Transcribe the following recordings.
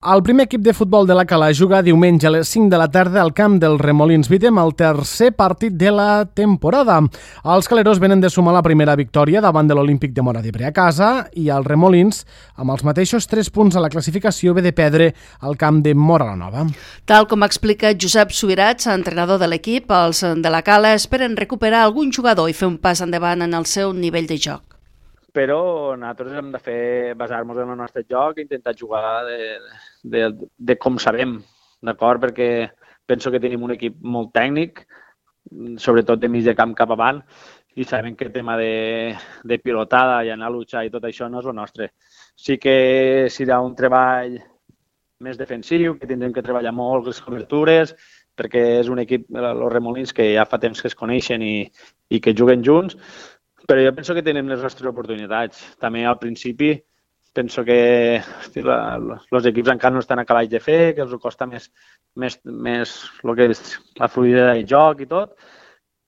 El primer equip de futbol de la Cala juga diumenge a les 5 de la tarda al camp del Remolins Vitem, el tercer partit de la temporada. Els caleros venen de sumar la primera victòria davant de l'Olímpic de Móra d'Ebre a casa i el Remolins, amb els mateixos 3 punts a la classificació, ve de perdre al camp de Móra la Nova. Tal com explica Josep Subirats, entrenador de l'equip, els de la Cala esperen recuperar algun jugador i fer un pas endavant en el seu nivell de joc. Però nosaltres hem de basar-nos en el nostre joc i intentar jugar de com sabem, d'acord? Perquè penso que tenim un equip molt tècnic, sobretot de mig de camp cap avant, i sabem que el tema de pilotada i anar a luchar i tot això no és el nostre. Sí que serà un treball més defensiu, que tindrem que treballar molt les cobertures, perquè és un equip, els Remolins, que ja fa temps que es coneixen i que juguen junts, però jo penso que tenim les nostres oportunitats. També al principi penso que els equips encara no estan acabats de fer, que els costa més el que és la fluïdesa del joc i tot,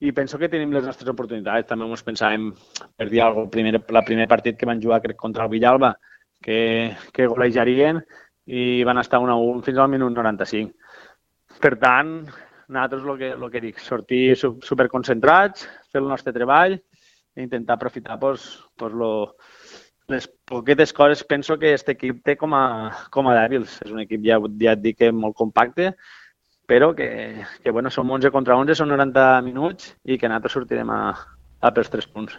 i penso que tenim les nostres oportunitats. També ens pensàvem, per dir alguna cosa, el primer partit que van jugar crec contra el Villalba, que golejarien i van estar 1-1 fins al minut 95. Per tant, nosaltres el que dic, sortir superconcentrats, fer el nostre treball, i intentar aprofitar les poquetes coses. Penso que aquest equip té com a dèbils. És un equip, ja et dic, molt compacte, però que som 11 contra 11, són 90 minuts i que nosaltres sortirem a pels 3 punts.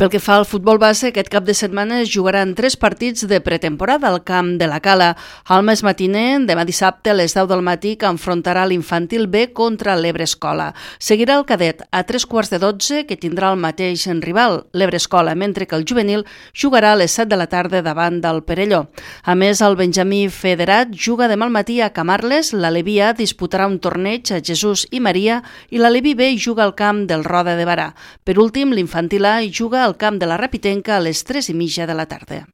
Pel que fa al futbol base, aquest cap de setmana es jugaran 3 partits de pretemporada al camp de la Cala. Al mes matiner, demà dissabte a les 10 del matí, que enfrontarà l'infantil B contra l'Ebre Escola. Seguirà el cadet a 3:15, que tindrà el mateix rival, l'Ebre Escola, mentre que el juvenil jugarà a les 7 de la tarda davant del Perelló. A més, el Benjamí Federat juga demà al matí a Camarles, l'Aleví A disputarà un torneig a Jesús i Maria i l'Aleví B juga al camp del Roda de Barà. Per últim, l'infantil A juga al camp de la Rapitenca a les 3:30 de la tarda.